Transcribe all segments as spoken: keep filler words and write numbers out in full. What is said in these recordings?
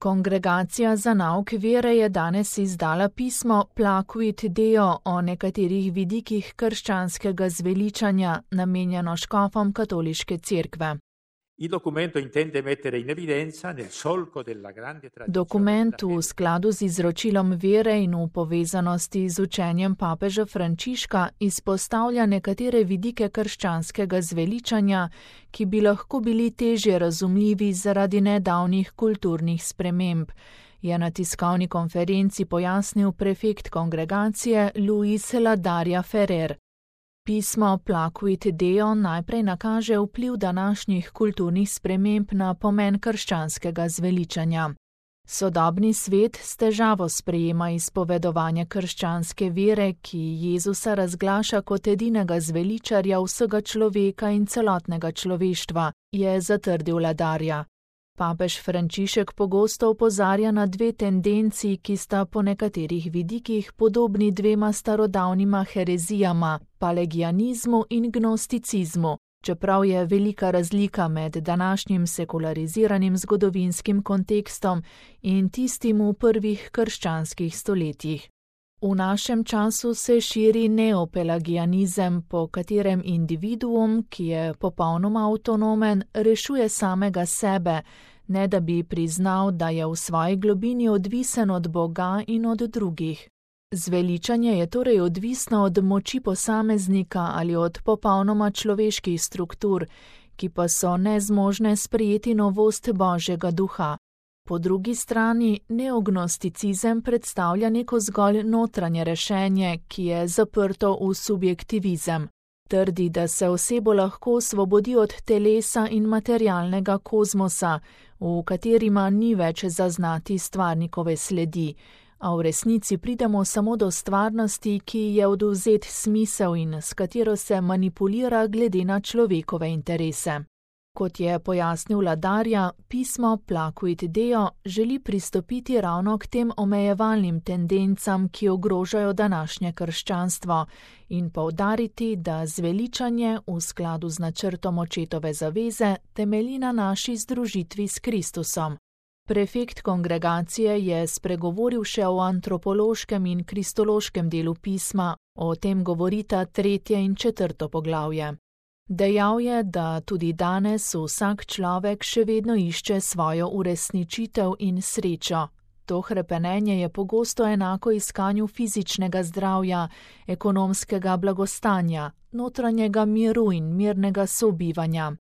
Kongregacija za nauk vere je danes izdala pismo Placuit Deo o nekaterih vidikih krščanskega zveličanja, namenjeno škofom katoliške cerkve. Dokument v skladu z izročilom vere in v povezanosti z učenjem papeža Frančiška izpostavlja nekatere vidike krščanskega zveličanja, ki bi lahko bili težje razumljivi zaradi nedavnih kulturnih sprememb, je na tiskovni konferenci pojasnil prefekt kongregacije Luis Ladarja Ferrer. Pismo Placuit Deo najprej nakaže vpliv današnjih kulturnih sprememb na pomen krščanskega zveličanja. Sodobni svet s težavo sprejema izpovedovanje krščanske vere, ki Jezusa razglaša kot edinega zveličarja vsega človeka in celotnega človeštva, je zatrdil Ladarja. Papež Frančišek pogosto opozarja na dve tendenci, ki sta po nekaterih vidikih podobni dvema starodavnima herezijama, palegianizmu in gnosticizmu, čeprav je velika razlika med današnjim sekulariziranim zgodovinskim kontekstom in tistim v prvih krščanskih stoletjih. V našem času se širi neopelagianizem, po katerem individuum, ki je popolnoma avtonomen, rešuje samega sebe, ne da bi priznal, da je v svoji globini odvisen od Boga in od drugih. Zveličanje je torej odvisno od moči posameznika ali od popolnoma človeških struktur, ki pa so nezmožne sprejeti novost Božjega duha. Po drugi strani, neognosticizem predstavlja neko zgolj notranje rešenje, ki je zaprto v subjektivizem. Trdi, da se osebo lahko osvobodi od telesa in materialnega kozmosa, v katerima ni več zaznati stvarnikove sledi, a v resnici pridemo samo do stvarnosti, ki je odvzet smisel in s katero se manipulira glede na človekove interese. Kot je pojasnil Ladarja, pismo Placuit Deo želi pristopiti ravno k tem omejevalnim tendencam, ki ogrožajo današnje krščanstvo, in poudariti, da zveličanje v skladu z načrtom očetove zaveze temelji na naši združitvi s Kristusom. Prefekt kongregacije je spregovoril še o antropološkem in kristološkem delu pisma, o tem govorita tretje in četrto poglavje. Dejal je, da tudi danes vsak človek še vedno išče svojo uresničitev in srečo. To hrepenenje je pogosto enako iskanju fizičnega zdravja, ekonomskega blagostanja, notranjega miru in mirnega sobivanja.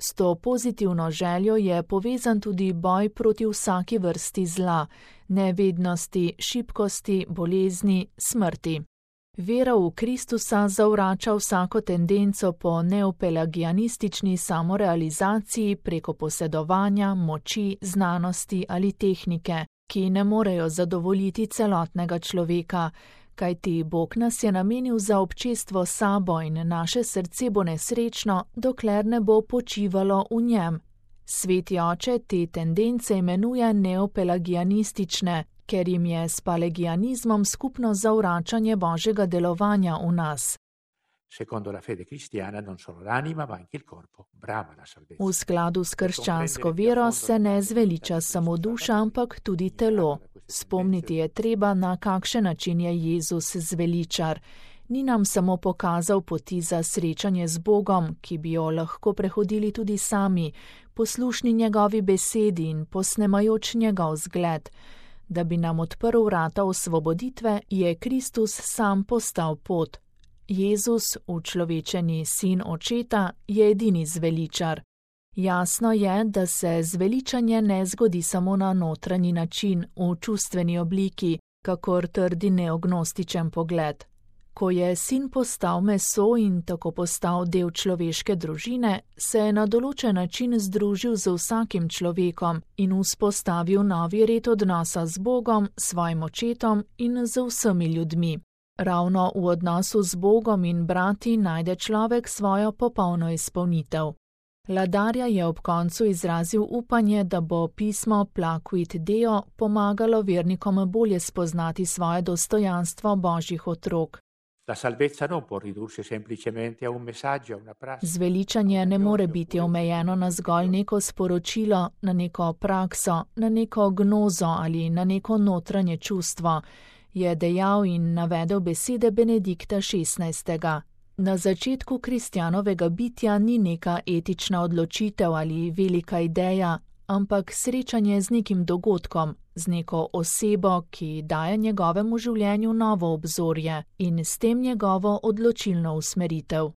S to pozitivno željo je povezan tudi boj proti vsaki vrsti zla, nevednosti, šibkosti, bolezni, smrti. Vera v Kristusa zavrača vsako tendenco po neopelagianistični samorealizaciji preko posedovanja, moči, znanosti ali tehnike, ki ne morejo zadovoljiti celotnega človeka, kajti Bog nas je namenil za občestvo s sabo in naše srce bo nesrečno, dokler ne bo počivalo v njem. Sveti oče te tendence imenuje neopelagianistične, ker jim je s palegianizmom skupno zavračanje Božjega delovanja v nas. V skladu s krščansko vero se ne zveliča samo duša, ampak tudi telo. Spomniti je treba, na kakšen način je Jezus zveličar. Ni nam samo pokazal poti za srečanje z Bogom, ki bi jo lahko prehodili tudi sami, poslušni njegovi besedi in posnemajoč njegov zgled. Da bi nam odprl vrata osvoboditve, je Kristus sam postal pot. Jezus, učlovečeni sin očeta, je edini zveličar. Jasno je, da se zveličanje ne zgodi samo na notranji način, v čustveni obliki, kakor trdi neognostičen pogled. Ko je sin postal meso in tako postal del človeške družine, se je na določen način združil z vsakim človekom in vzpostavil novi red odnosa z Bogom, svojim očetom in z vsemi ljudmi. Ravno v odnosu z Bogom in brati najde človek svojo popolno izpolnitev. Ladarja je ob koncu izrazil upanje, da bo pismo Placuit Deo pomagalo vernikom bolje spoznati svoje dostojanstvo Božjih otrok. Zveličanje ne more biti omejeno na zgolj neko sporočilo, na neko prakso, na neko gnozo ali na neko notranje čustvo, je dejal in navedel besede Benedikta šestnajstega. Na začetku kristjanovega bitja ni neka etična odločitev ali velika ideja, ampak srečanje z nekim dogodkom, z neko osebo, ki daje njegovemu življenju novo obzorje in s tem njegovo odločilno usmeritev.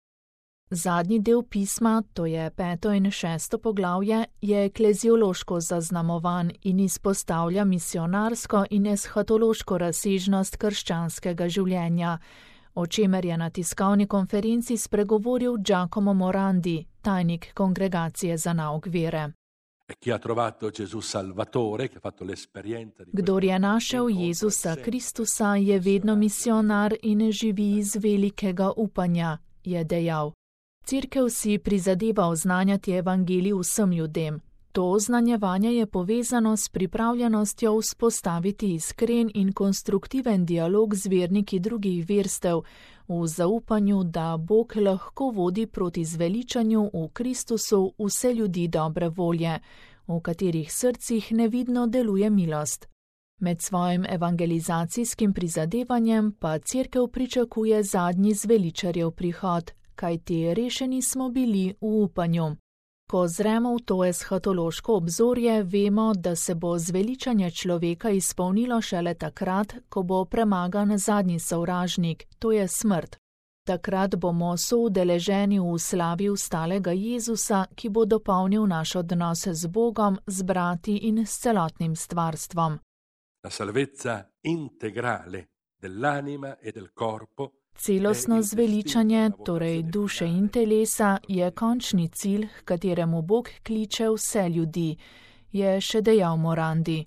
Zadnji del pisma, to je peto in šesto poglavje, je ekleziološko zaznamovan in izpostavlja misionarsko in eshatološko razsežnost krščanskega življenja, o čemer je na tiskovni konferenci spregovoril Giacomo Morandi, tajnik Kongregacije za nauk vere. Kdor je našel Jezusa Kristusa, je vedno misionar in živi iz velikega upanja, je dejal. Cerkev si prizadeva oznanjati evangelij vsem ljudem. To oznanjevanje je povezano s pripravljenostjo vzpostaviti iskren in konstruktiven dialog z verniki drugih verstev, v zaupanju, da Bog lahko vodi proti zveličanju v Kristusu vse ljudi dobre volje, v katerih srcih nevidno deluje milost. Med svojim evangelizacijskim prizadevanjem pa cerkev pričakuje zadnji zveličarjev prihod, kajti rešeni smo bili v upanju. Ko zremo v to eshatološko obzorje, vemo, da se bo zveličanje človeka izpolnilo šele takrat, ko bo premagan zadnji sovražnik, to je smrt. Takrat bomo soudeleženi v slavi vstalega Jezusa, ki bo dopolnil naš odnos z Bogom, z brati in s celotnim stvarstvom. La salvezza integrale dell'anima e del corpo. Celostno zveličanje, torej duše in telesa, je končni cilj, h kateremu Bog kliče vse ljudi, je še dejal Morandi.